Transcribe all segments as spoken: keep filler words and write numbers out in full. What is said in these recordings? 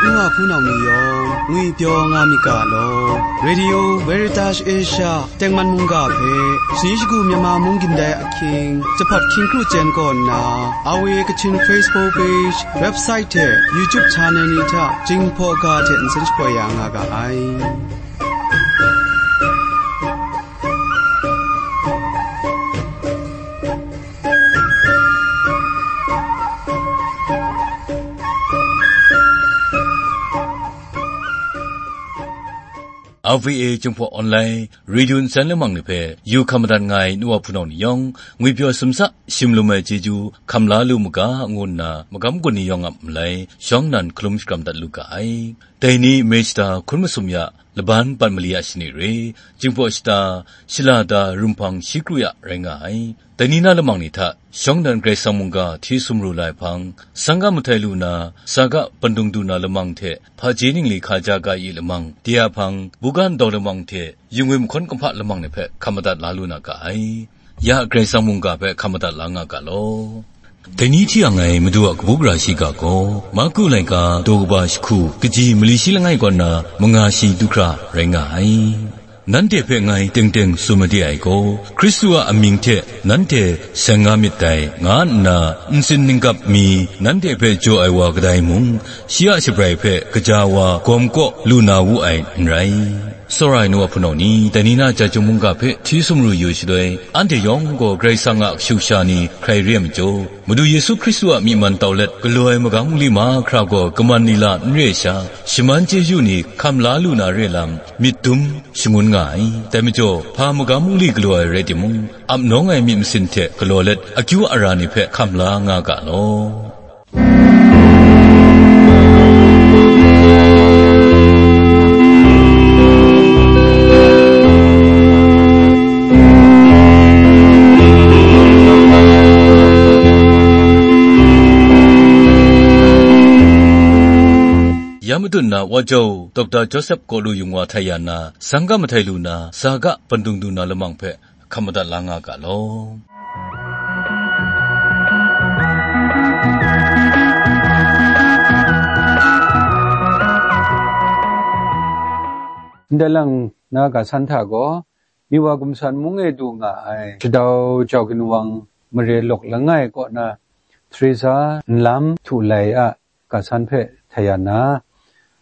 Nwa hpunau ni yawng ngwipyaw nga myit ga law. Radio Veritas Asia tengman mungga hpe, Sani Shagu Myanmar Mung Gindai Ahkying, Jahpat Hkying Kru Jen kaw nna, R V A Kachin Facebook page, website hte YouTube channel ni hta Jinghpaw ga hte nsen shapoi ya nga ga ai. R V A Jinghpaw Online Radio nsen lamang ni hpe yu hkam madat nga ai nu wa hpunau ni yawng, ngwipyaw sumsa, shimlum ai chyeju hkam la lu mu ga, ngu nna magam gun ni yawng a malai shawng nnan hkalum shakram dat lu ga ai. Dai ni Meshta hkun masum ya laban pat mali a shani re, Jinghpaw shata, shalada, rumhpang shi kru ya rai nga ai. Dai ni na lamang ni hta, shawng nnan Karai Kasang mungga hti sumru lai hpang, sangga mahtai lu na, saga pandung du na lamang hte, hpaji ningli hkaja ga i lamang, de a hpang, bugan daw lamang hte, yungwi mahkawn kumhpa lamang ni hpe hkam madat la lu na ga ai. Ya Karai Kasang mungga hpe hkam madat la nga ga law. Dai ni hti ang ai Madu a kabu gara shiga gaw, Marku laika daw kaba jahku, kaji mali shi langai kaw na manga shi du hkra rai nga ai. Nanhte hpe ngai teng teng tsun made ai gaw, Hkristu a amying hte nanhte seng nga myit dai, nga nna ntsin ninggap mi nanhte hpe jaw ai wa kadai mung, shi a shabrai hpe kaja wa gawm kaw lu na wu ai n rai. Tsawra ai nu wa hpunau ni, dai ni na Jahtum mungga hpe hti sumru yu shaloi, anhte yawng gaw Karai Kasang a kashu kasha ni hkrai re ai majaw, Madu Yesu Hkristu a myi man tau let galaw ai magam nli mahkra gaw kaman lila n re ai sha, shaman chyeju ni hkam la lu na re lam, myit dum shangun nga ai. Dai majaw, hpa magam nli galaw ai rai timung, ap nawng ai myit masin hte galaw let, akyu ara ni hpe hkam la nga ga law. Ya matut na Wajau Doctor Joseph Kawlu Yung wa htai ya na, sangga mahtai lu na, saga pandung du na lamang hpe hkam madat la nga ga law. Ndai lang na ga san hta gaw, Miwa Gumsan mung e du nga ai, shadau jau ginwang mare lawk langai kaw na, Teresa nlam htu lai a ga san hpe htai ya na,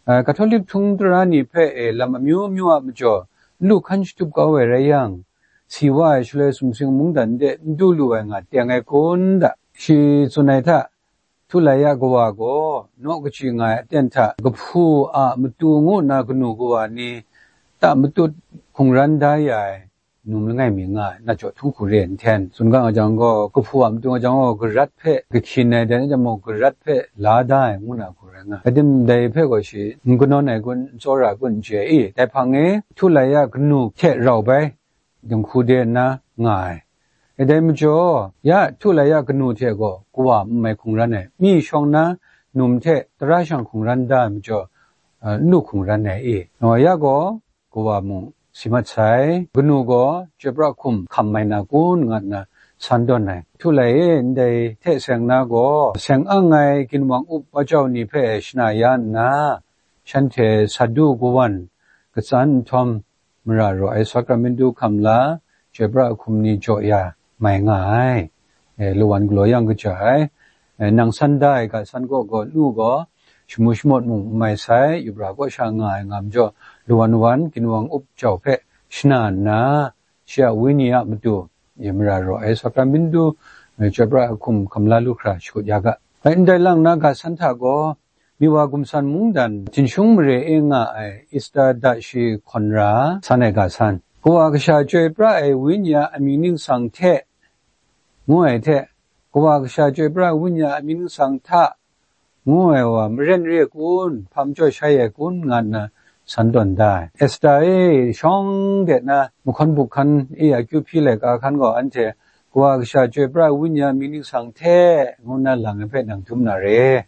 a, Katolik htung tara ni hpe e lam amyu myu a majaw, n lu hkan shatup kau ai rai yang, si wa ai shaloi sumsing mungdan de n du lu ai nga teng ai kun da. Shi tsun ai hta, Htu lai ya kawa gaw, naw kaji nga ai aten hta, kahpu a matu ngu nna kanu kawa ni ta matut hkungran da ya ai, num langai mi nga ai, na jaw htung hku re ai nhten, tsun ga nga jang gaw, kahpu a matu nga jang gaw, garat hpe kahkyin ai, dai na jang mung, garat hpe la da ai, ngu na hku rai nga ai. Adim dai hpe gaw shi, n kanawn ai kun, n tsawra ai kun, n chye ai i, dai hpang e, htu lai ya kanu hte rau bai, dinghku de nna nga ai. E dai majaw, ya htu lai ya kanu hte gaw kawa n mai hkungran ai, myi shawng na num hte tara shang hkungran da ai majaw, a, n lu hkungran ai i? Naw ya gaw, kawa mung si mat sai, kanu gaw chyoi pra hkum hkam mai na kun, nga nna san tawn ai. Htu lai e, ndai hte seng na gaw, seng ang ai ginwang up wa jau ni hpe shana ya nna, shanhte Sadu kawan katsan nhtawm, mara raw ai Sakramentu hkam la, chyoi pra hkum ni jaw ya mai nga ai. E, lawan galaw yang kaja ai. E, nang san da ai ga san kaw gaw, nu gaw, shamu shamawt mung n mai sai, yubra kaw sha nga ai nga majaw, lawan wan ginwang up jau hpe shana nna, shi a Wenyi a matu, e, mara raw ai Sakramentu, e, chyoi pra hkum hkam la lu hkra shakut ya ga. Bai ndai lang na ga san hta gaw, Miwa Gumsan mungdan Jinshung mare e nga ai Esta da shi hkawn ra san ai ga san. Kawa Kasha chyoi pra ai Wenyi a amying ningsang hte, ngu ai hte, Kawa Kasha chyoi pra ai Wenyi a amying ningsang hta, ngu ai wa maren re kun, hpa majaw shai ai kun, nga nna san tawn da ai. Esta e, shawng de na mahkawn buk hkan e akyu hpyi laika hkan gaw anhte, Kawa Kasha chyoi pra ai Wenyi a amying ningsang hte, ngu nna lang ai hpe nang dum na re.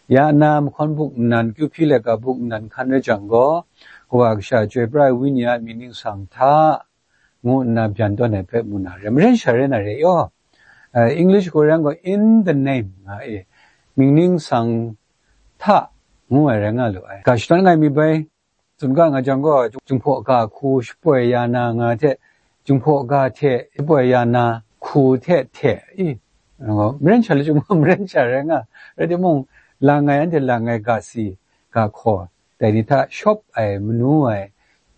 Ya na mahkawn buk nnan, kyu hpyi laika buk nnan hkan rai jang gaw, Kawa Kasha chyoi pra ai Wenyi a amying ningsang hta, ngu nna byan tawn ai hpe mu na re. Maren sha rai na re yaw. Eh, English gaw yang gaw, in the name, nga e. Mying ningsang hta, ngu ai rai nga lu ai. Ga shadawn nga ai mi bai, tsun ga nga jang gaw, Jinghpaw ga hku shapoi ya na nga hte, Jinghpaw ga hte shapoi ya na hku hte hte, i, maren sha lachyum gaw maren sha rai nga, rai timung, lang ai, anhte lang ai ga si, ga hkaw, dai ni hta shawp ai, manu ai,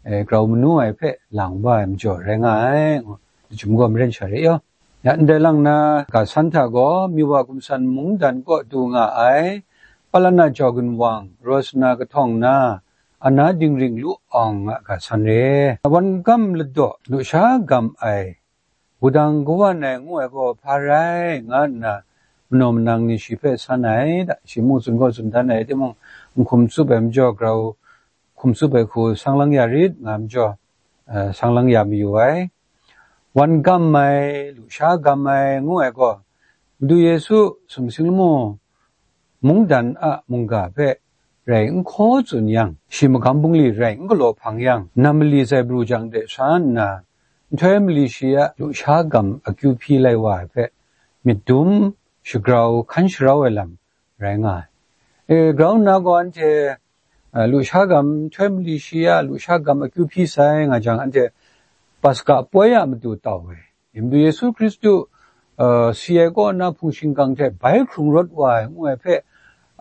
e, grau manu ai hpe lang wa ai majaw rai nga ai, ngu, lachyum gaw maren sha re yaw. Ya ndai lang na, ga san hta gaw, Miwa Gumsan mungdan kaw du nga ai, Palana Jawgun Wang, Rosna kahtawng na, Ana Dingring Lu Awng a ga san re. Wan gam ladaw, lusha gam ai, wudang kawan ai ngu ai gaw hpa rai, nga nna, manaw manang ni shi hpe san ai, da, shi mung tsun gaw tsun dan ai, timung, n hkum tsup ai majaw, grau hkum tsup ai hku sang lang ya rit, nga majaw, eh, sang lang ya mayu ai. Wan gam ai, lusha gam ai, ngu ai gaw, Madu Yesu sumsing lamu mungdan a mungga hpe rai n hkaw tsun yang, shi magam bungli rai n galaw hpang yang, nam mali zaibru jang de sha nna, nhtoi mali shi a lusha gam akyu hpyi lai wa ai hpe, myit dum, shagrau, hkan sharau ai lam rai nga ai. E, grau nna gaw anhte, a, lusha gam, nhtoi mali shi a lusha gam akyu hpyi sai nga jang, anhte Paska poi a matu tau ai. Madu Yesu Hkristu, a, si ai kaw na hpung shingkang hte bai hkrung rawt wa ai, ngu ai hpe,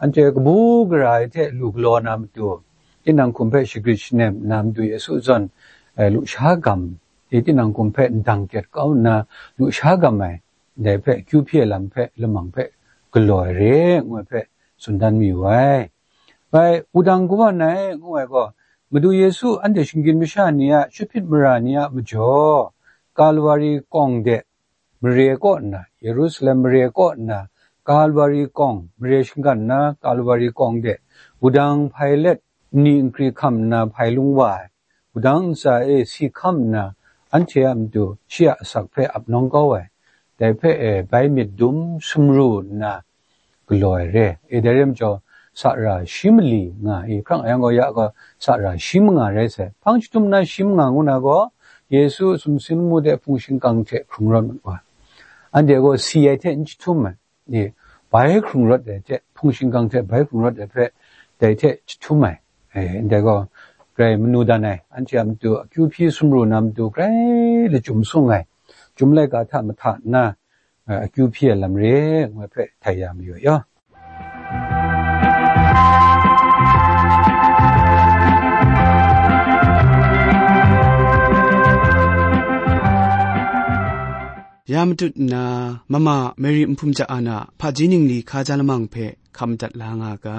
anhte kabu gara ai hte lu galaw na matu, tinang hkum hpe shagrit shanem nna Madu Yesu zawn, e, lusha gam, e, tinang hkum hpe ndang kyet kau nna lusha gam ai, ndai hpe akyu hpyi ai lam hpe, lamang hpe galaw ai re, ngu ai hpe tsun dan mayu ai. Bai, wudang kawan ai, ngu ai gaw, Madu Yesu anhte shinggyim masha ni a chyahpyit mara ni a majaw, Kalwari kawng de mare kaw nna, Yerusalem mare kaw nna, Kalwari kawng, mare shinggan nna, Kalwari kawng de, wudang hpai let, nni nkri hkam nna hpai lung wa ai, wudang ntsa e si hkam nna, anhte a matu shi a asak hpe ap nawng kau ai, dai hpe e bai myit dum sumru nna galaw ai re. E, dai re majaw, sara shi mali nga i, hkrang yang gaw ya gaw, sara shi manga rai sai. Hpang chyahtum na shi manga ngu na gaw, Yesu sumsing lamu de hpung shingkang hte hkrung rawt mat wa. Anhte gaw si ai hte n chyahtum ai. E, bai hkrung rawt ai hte, hpung shingkang hte bai hkrung rawt ai hpe, dai hte chyahtum ai. E, ndai gaw, grai manu dan ai, anhte a matu akyu hpyi sumru na matu grai lachyum sung ai, chyum laika hta mahta nna, e, akyu hpyi ai lam re, ngu ai hpe htai ya mayu ai yaw. Ya matut nna, mama Mary Nhpum Ja An a hpaji ningli hkaja lamang hpe hkam madat la nga ga.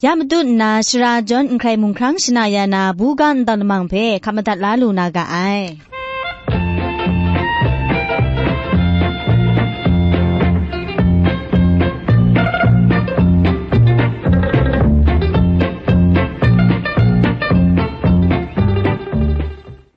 Ya matut nna, shara jawn n hkrai mung hkrang shana ya na, buga ntawn lamang hpe hkap madat la lu na ga ai.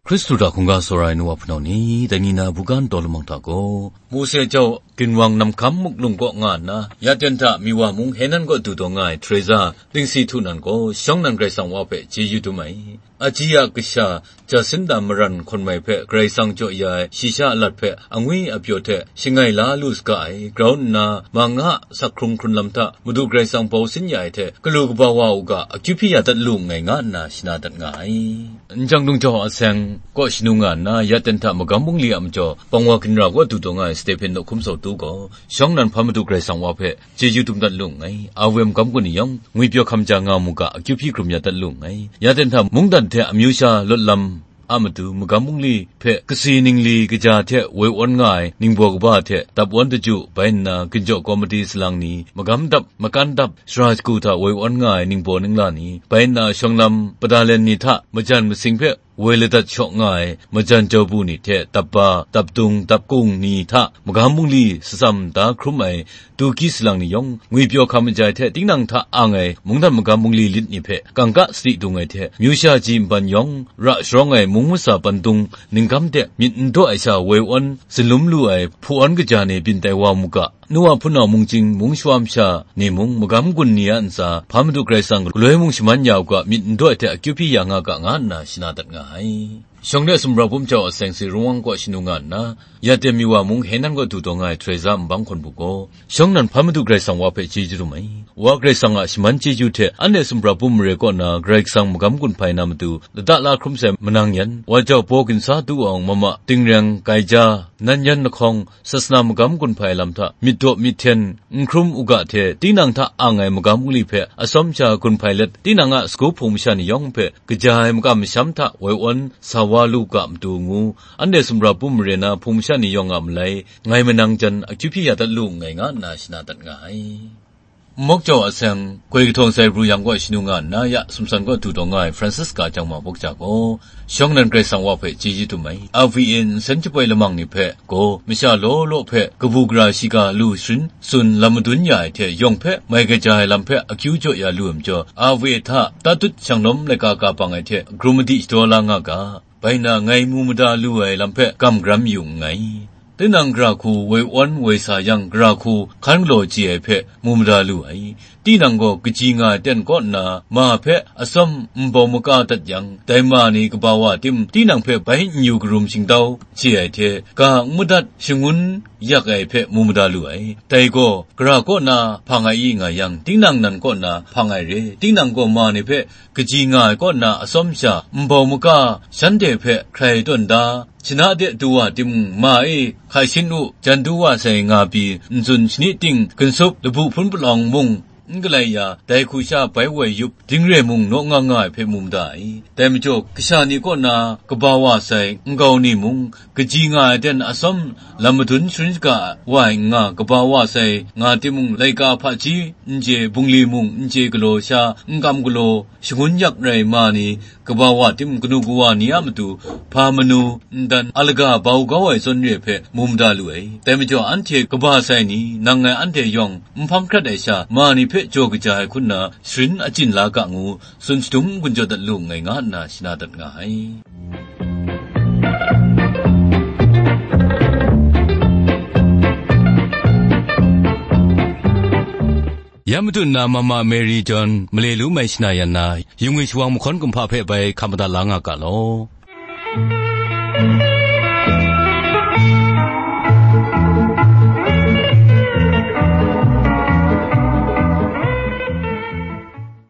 Hkristu hta hkungga tsawra ai nu wa hpunau ni, dai ni na buga ntawn lamang hta gaw, Mose jau ginwang namhkam muklung kaw nga nna, Yaten hta Miwa mung Henan kaw du taw nga ai Teresa Dingsi Htu nan gaw, shawng nan Karai Kasang wa hpe chyeju dum ai. Aji a kasha Jacinta Maran hkawn mai hpe Karai Kasang jaw ya ai shayi sha alat hpe angwi apyaw hte shangai la lu saga ai, grau nna, ma nga sak hkrung hkrun lam hta Madu Karai Kasang bau sin ya ai hte, galu kaba wa u ga, akyu hpyi ya dat lu nngai, nga nna shana dat nga ai. N jang dung jau a seng kaw shanu nga nna, Yaten hta magam bungli a majaw, Pangwa ginra kaw du taw nga ai Stephen Nawhkum Sawtu gaw, shawng nan hpa Madu Karai Kasang wa hpe chyeju dum dat lu nngai. Awe magam gun ni yawng, ngwipyaw hkam ja nga mu ga, akyu hpyi hkrum ya dat lu nngai. Yaten hta mungdan hte amyu sha lawt lam a matu, magam bungli hpe kasi ningli kaja hte woi awn nga ai ningbaw kaba hte dap awn daju, bai nna ginjaw kawmiti salang ni, magam dap, makan dap, sara shagu hta woi awn nga ai ningbaw ningla ni, bai nna shawng lam padalen ni hta majan masing hpe woi ladat shaw nga ai majan jau bu ni hte dap ba, dap dung, dap kung ni hta magam bungli satsam da hkrum ai Tuki salang ni yawng, ngwipyaw hkam majai hte tinang hta ang ai mungdan magam bungli lit ni hpe kangka sadi dung ai hte, myu sha ji nban yawng, ra sharawng ai mung masa pandung ningkam de myit n daw ai sha woi awn, sinlum lu ai hpu awn kaja ni byin tai wa mu ga, nu wa hpunau mungchying mung shawa masha ni mung, magam gun ni a ntsa, hpa Madu Karai Kasang galoi mung shaman ya u ga, myit n daw ai hte akyu hpyi ya nga ga, nga nna shana dat nga ai. Shawng de sumra bum jau a seng si Rungwang kaw shanu nga nna, Yaten Miwa mung Henan kaw du taw nga ai Teresa nbang hkawn bu gaw, shawng nan hpa Madu Karai Kasang wa hpe chyeju dum ai. Wa Karai Kasang a shaman chyeju hte anhte sumra bum mare kaw na Karai Kasang magam gun hpai na matu, lada la hkrum sai manang yan, wa jau baw ginsa du awng mama, tingreng, gaija, nan yan lahkawng, sasana magam gun hpai lam hta myit daw myit hten, n hkrum u ga hte, tinang hta ang ai magam bungli hpe atsawm sha gun hpai let, tinang a sagu hpung masha ni yawng hpe kaja ai makam masham hta woi awn sa wa lu ga matu ngu, anhte sumra bum mare na hpung masha ni yawng a malai, ngai manang jan akyu hpyi ya dat lu nngai, nga nna shana dat nga ai. Nmawk jau a seng, goi kahtawng sai pru yang kaw shanu nga nna, ya sumsan kaw du taw nga ai Francisca Jangma Bawk Ja gaw, shawng nan Karai Kasang wa hpe chyeju dum ai. R V A nsen jaboi lamang ni hpe gaw, masha law law hpe kabu gara shiga lu sharin tsun lam madun ya ai hte, yawng hpe mai kaja ai lam hpe akyu jaw ya lu ai majaw, R V A hta tatut shanglawm laika ka bang ai hte, krum madi shadaw la nga ga. Bai nna, ngai mu mada lu ai lam hpe gam garam yu nngai. Tinang gara hku woi awn woi sa yang, gara hku hkan galaw chye ai hpe mu mada lu ai. Tinang gaw kaji nga ai ten kaw nna, ma hpe atsawm nbau maka dat yang, dai ma ni kaba wa tim tinang hpe bai n yu karum shingtau chye ai hte, ga n madat shangun yak ai hpe mu mada lu ai. Dai gaw, gara kaw na hpang ai i nga yang, tinang nan kaw na hpang ai re. Tinang gaw ma ni hpe kaji nga ai kaw na atsawm sha nbau maka shanhte hpe hkrai tawn da, shana de du wa timung, ma e hkai shin u, jan du wa sai nga pyi, n tsun shani ting, ginsup, labu hpun palawng mung n galai ya, dai hku sha bai woi yup, dingre mung naw nga nga ai hpe mu mada ai. Dai majaw, kasha ni kaw na kaba wa sai nkau ni mung, kaji nga ai ten atsawm lam madun sharin shaga wa ai n nga, kaba wa sai nga timung, laika hpaji n chye, bungli mung n chye galaw sha, n kam galaw, shangun yak rai ma ni, kaba wa tim kanu kawa ni a matu, hpa manu, ndan a laga bau kau ai zawn re hpe mu mada lu ai. Dai majaw, anhte kaba sai ni, nang ngai anhte yawng n hpang hkrat ai sha, ma ni hpe jaw kaja ai hku nna, sharin achyin la ga ngu, tsun shadum n-gun jaw dat lu nngai, nga nna shana dat nga ai. Ya matu nna Mama Mary John male lu mai shana yan na, yungwi shawang mahkawn kumhpa hpe bai hkap madat la nga ga law.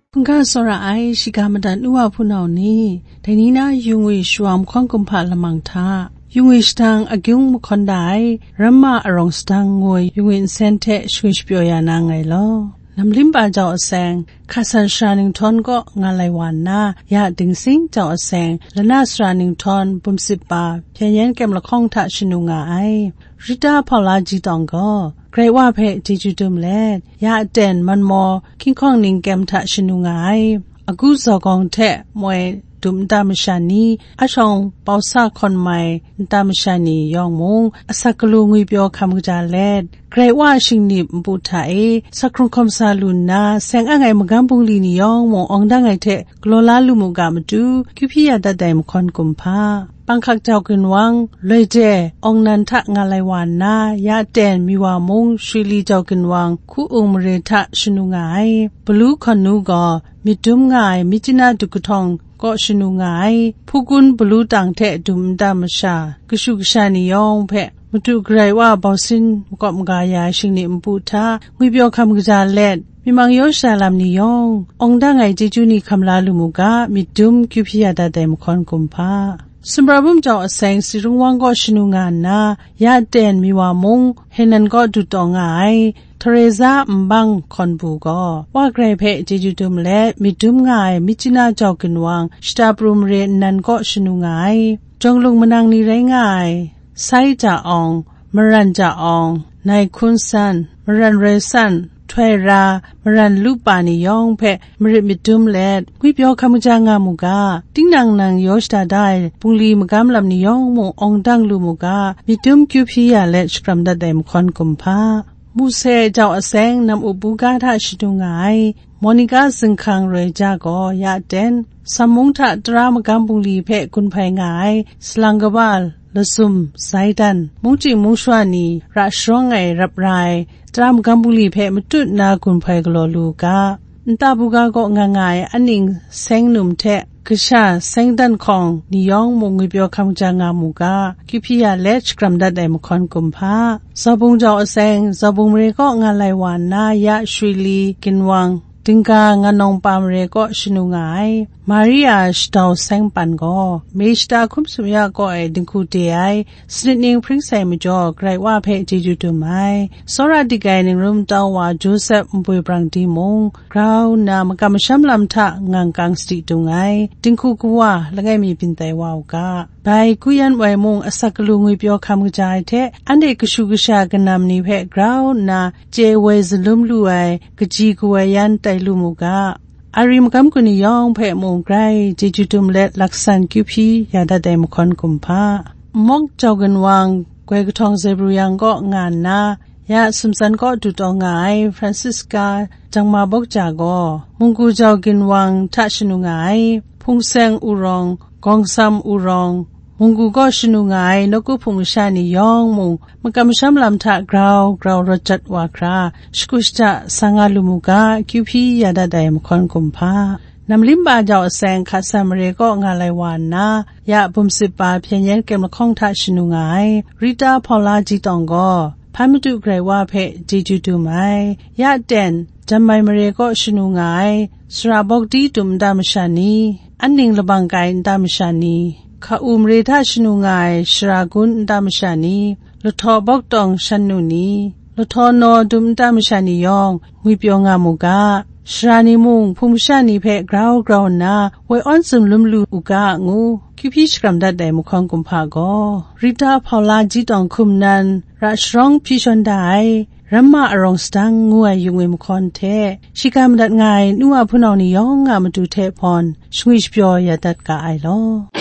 Hkungga tsawra ai shiga madat nu wa hpunau ni, dai ni na yungwi shawang mahkawn kumhpa lamang hta, yungwi shadang agyung mahkawn da ai, Ramma arawng sadang ngoi yungwi nsen hte shangwi shapyaw ya na nngai law. Namlim pa jau a seng, Hkasan sara ningtawn kaw nga lai wa nna, ya Dingsing jau a seng, Lana sara ningtawn bumsip pa, hpyen yen kyem lahkawng hta shanu nga ai. Rita Paula Jitawng gaw, Karai Wa hpe chyeju dum let, ya aten manmaw hkying hkawng ning kyem hta shanu nga ai. Agu zawgawng hte moi dum nta masha ni, ashawng bausa hkawn mai nta masha ni yawng mung, asak galu ngwipyaw hkam kaja let, Karai Wa a shingnip npu hta e, sak hkrung hkawm sa lu nna, seng ang ai magam bungli ni yawng mung awng dang ai hte galaw la lu mu ga matu, kyu hpyi ya dat ai mahkawn kumhpa, panghkak jau ginwang, loi de, awng nan hta nga lai wa nna, ya ten, miwa mung, shwi li jau ginwang, hku ung mare hta shanu nga ai. Balu hkawn nu gaw, myit dum nga ai, myit china duk kahtawng kaw shanu nga ai. Hpukun balu tang hte dum nta masha, kashu kasha ni yawng hpe, Madu Karai Wa bausin makawp maga ya ai shingnip npu hta, ngwipyaw hkam kaja let, myi mang yaw shada lam ni yawng, awng dang ai chyeju ni hkam la lu mu ga, myit dum kyu hpyi ya dat ai mahkawn kumhpa. Sumra bum jau aseng, Sirung Wang kaw shanu nga nna, ya ten, miwa mung, Henan kaw du taw nga ai, Teresa Nbang hkawn bu gaw, Wa Karai hpe chyeju dum let, myit dum nga ai, myit china jau ginwang, shata pru mare nnan kaw shanu nga ai. Jawng lung manang ni rai nga ai, Sai Ja Awng, Maran Ja Awng, Nai Hkun San, Maran Roi San, Htoi Ra, Maran Lu Pa ni yawng hpe marit myit dum let, ngwipyaw hkam kaja nga mu ga, tinang nang yaw shada da ai bungli magam lam ni yawng mung awng dang lu mu ga, myit dum kyu hpyi ya let shakram dat ai mahkawn kumhpa. Muse jau aseng, nam up buga hta shadu nga ai, Monica Zinghkang Roi Ja gaw ya ten, Sammung hta tara magam bungli hpe gun hpai nga ai, salang kaba, lazum, zaidan, mungchying mungshwa ni ra sharawng ai rap ra ai, tara magam bungli hpe matut nna gun hpai galaw lu u ga, nta buga kaw nga nga ai aning seng num hte kasha seng dan hkawng ni yawng mung ngwipyaw hkam ja nga mu ga, kyu hpyi ya let shakram dat ai mahkawn kumhpa. Zaubung jau aseng, Zaubung mare kaw nga lai wa nna, ya shwi li ginwang, Dingga Ngan Nawng Pa mare kaw shanu nga ai, Maria Shadau Seng Pan gaw, Mei Shata Hkum Sum Ya kaw e dinghku de ai, sanit ning hpring sai majaw, Karai Wa hpe chyeju dum ai. Tsawra dik ai ningrum tau wa Josep Npoi Brang Di mung, grau nna makam masham lam hta ngang kang sadi dung ai, dinghku kawa langai mi byin tai wa u ga. Bai Guyan Woi mung asak galu ngwipyaw hkam kaja ai hte, anhte kashu kasha kanam ni hpe grau nna chye woi zalum lu ai, kaji kawoi yan tai lu mu ga. Ari magam gun ni yawng hpe mung grai chyeju dum let laksan kyu hpyi ya dat ai mahkawn kumhpa. Mawk jau ginwang, goi kahtawng Zebru yang kaw nga nna, ya sumtsan kaw du taw nga ai Francisca Jangma Bawk Ja gaw, munggu jau ginwang hta shanu nga ai, Hpung Seng Urawng, Gawngsam Urawng, munggu kaw shanu nga ai nawku hpung masha ni yawng mung, makam masham lam hta grau grau rawt jat wa hkra, shagu shada sa nga lu mu ga, kyu hpyi ya dat ai mahkawn kumhpa. Namlimba jau aseng, Hka San mare kaw nga lai wa nna, ya bum sip pa hpyen yen kyem lahkawng hta shanu nga ai, Rita Paula Ji Tawng gaw, Hpan Madu Karai Wa hpe chyeju dum ai, ya ten, Janmai mare kaw shanu nga ai, Sara Bawk Di dum nta masha ni, Anning Labang Kai nta masha ni, Hka U mare hta shanu nga ai, Shara Gun nta masha ni, Lahtaw Bawk Tawng Shan Nu ni, Lahtaw Naw dum nta masha ni yawng, ngwipyaw nga mu ga, shara ni mung, hpung masha ni hpe grau grau nna, woi awn tsun lum lu u ga, ngu kyu hpyi shakram dat ai mahkawn kumhpa gaw, Rita Paula Ji Tawng hkum nan, ra sharawng hpyi shawn da ai, Ramma Arawng Sadang ngu ai yung e mahkawn hte, shiga madat nga ai nu wa hpunau ni yawng a matu hte hpawn, shangwi shapyaw ya dat ga ai law.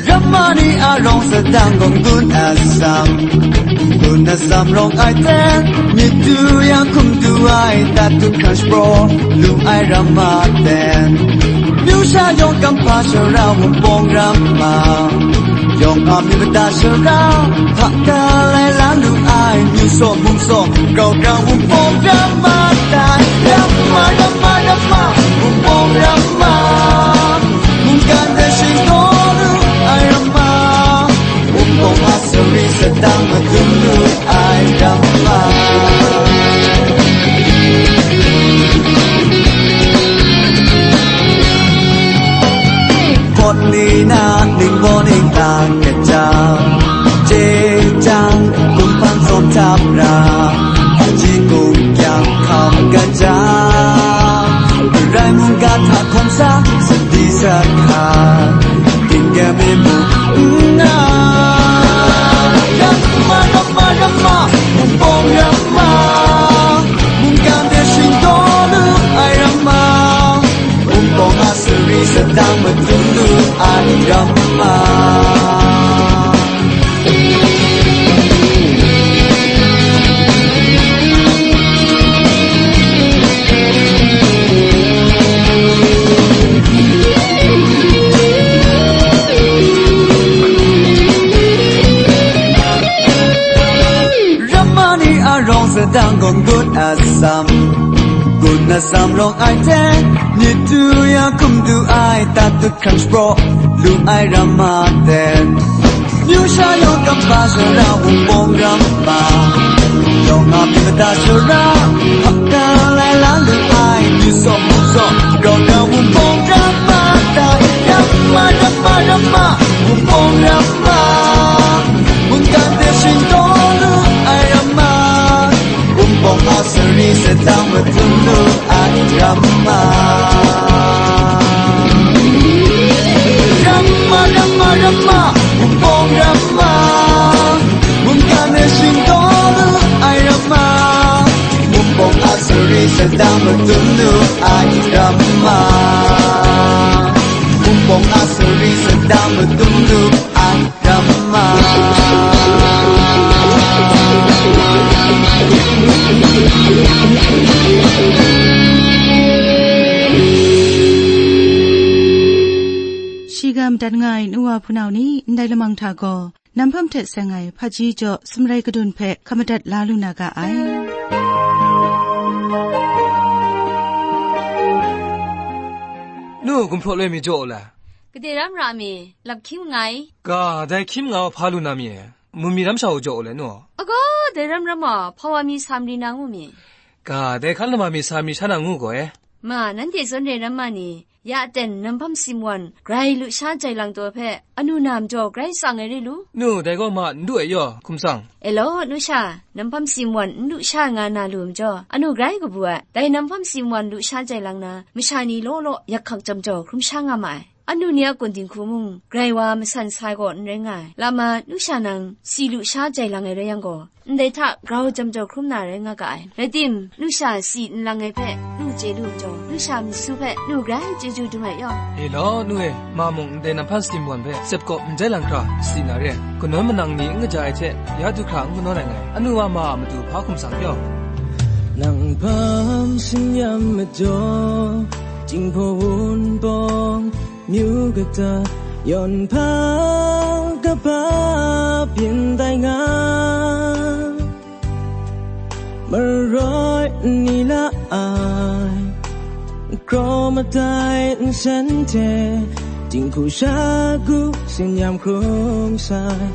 Ramani Arawng Sadang gaw gun atsam, gun atsam rawng ai ten, myit du yang hkum du ai, dat du hkran shapraw lu ai ramma ten. Myu sha yawng kamhpa shara Wunpawng ramma, yawng a myu mada shara, hta ka lai la lu ai, myu saw mung saw, grau grau Wunpawng ramma tai. Ramma, ramma, ramma, Wunpawng ramma. Mungkan de shingdaw lu ai ramma, Wunpawng a sari sadang madun lu ai ramma. Ni na ningbaw ninglang kajang, jejang, kumhpang tsawm hta pra, hpaji kungkyang hkam kajang, Karai mungga hta hkawm sa, sadi sahka, ginggam e mu nna, ramma, ramma, ramma, mungpawng ramma, mungkan de shingdaw lu ai ramma, Wunpawng a sari sadang madun lu ai ramma. Ramma ni a rawng sadang gawn gun atsam, gun atsam rawng ai hte, myit du ya hkum du ai, tat dut hkrang shapraw lu ai ramma ten, myu sha yawng kaba shara wunpawng ramma, yawng a myit mada shara, hkap ka lai la lu ai, myu saw hpu saw, rau na wunpawng ramma tai, ramma, ramma, ramma, wunpawng ramma. Mungkan de shingdaw lu ai ramma, wunpawng a sari sadang madun lu ai ramma. Ramma, ramma, ramma, wunpawng ramma, mungkan de shingdaw lu ai ramma, wunpawng a sari sadang madun lu ai ramma, wunpawng a sari sadang madun lu ai ramma. Shi ga madat nga ai nu wa hpunau ni, ndai lamang hta gaw, nam hpam hte seng ai hpaji jaw sumrai kadun hpe hkap madat la lu na ga ai. Nu, gumhpraw loi mi jaw u le. Gade ram ra mi, lap hkying nngai. Ga, dai hkying nga hpa lu na mi e? Mu mi ram sha u jaw u le nu? Agaw, dai ram ram a, hpa wa mi sa mari na ngu mi? Ga, dai hkan lama mi sa mari sha na ngu gaw e? Ma, nanhte zawn re ram ma ni, ya ten nam hpam simwan grai lusha jai lang taw hpe, anu na majaw grai tsang ai re lu? Nu, dai gaw ma n du ai yaw, hkum tsang. E law, nu sha, nam hpam simwan n lusha nga na lu majaw, anu grai kabu ai. Dai nam hpam simwan lusha jai lang na, masha ni law law yak hkak jam jaw hkrum sha nga ma ai. Anu ni a kun dinghku mung, grai wa masan sai gaw n rai nga ai. Lama, nu sha nang, si lusha jai lang ai rai yang gaw, ndai hta grau jam jaw hkrum na rai nga ga ai. Rai tim, nu sha si nlang ai hpe, nu chye lu majaw, nu sha myisu hpe, nu grai chyeju dum ai yaw. E law, nu e, ma mung ndai nam hpam simwan hpe, sep kawp n jai lang hkra, si na re. Kanawn manang ni n kaja ai hte, ya du hkra n kanawn ai ngai. Anu wa ma a matu hpa hkum tsang yaw. Nang hpam sin yam majaw, Jinghpaw Wunpawng, myu kata, yawn hpa kaba byin tai nga, maroi n ni la ai, kraw madai nsen hte, dinghku shagu sin yam hkrung sai,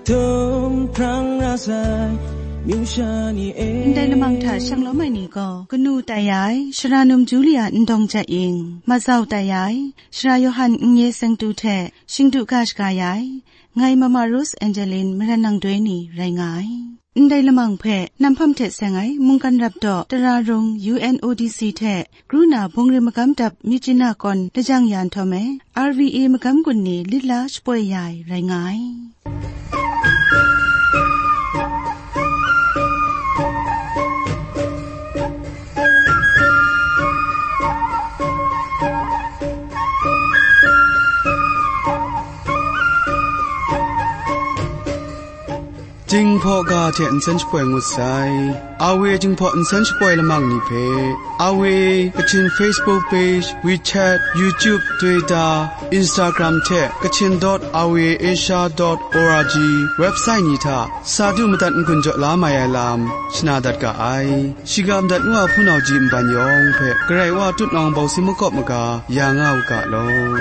htum hprang ra sai, myu sha ni e. Ndai lamang hta shanglawm ai ni gaw, kanu tai ai, Sara Num Julia Ndawng Jat Ying, mazau tai ai, Sara Yawhan Nnye Sengtu hte shingdu ga shaga ya ai, ngai Mama Rose Angeline Maran Nang Doi ni rai nga ai. Ndai lamang hpe nam hpam hte seng ai mungkan rap daw tara rung U N O D C hte kru na bungri magam dap myit jina kawn lajang ya nhtawm e, R V A magam gun ni lit la shapoi ya ai rai nga ai. Jinghpaw ga hte nsen shapoi ngut sai. A W Jinghpaw nsen shapoi lamang ni hpe, A W Kachin Facebook page, WeChat, YouTube, Twitter, Instagram hte Kachin dot R V A Asia dot O R G website ni hta sa du madat n-gun jaw la mai ai lam shana dat ga ai. Shiga madat nu a hpunau ji nban yawng hpe Karai Wa tutnawng bawsi makawp maga ya nga u ga law.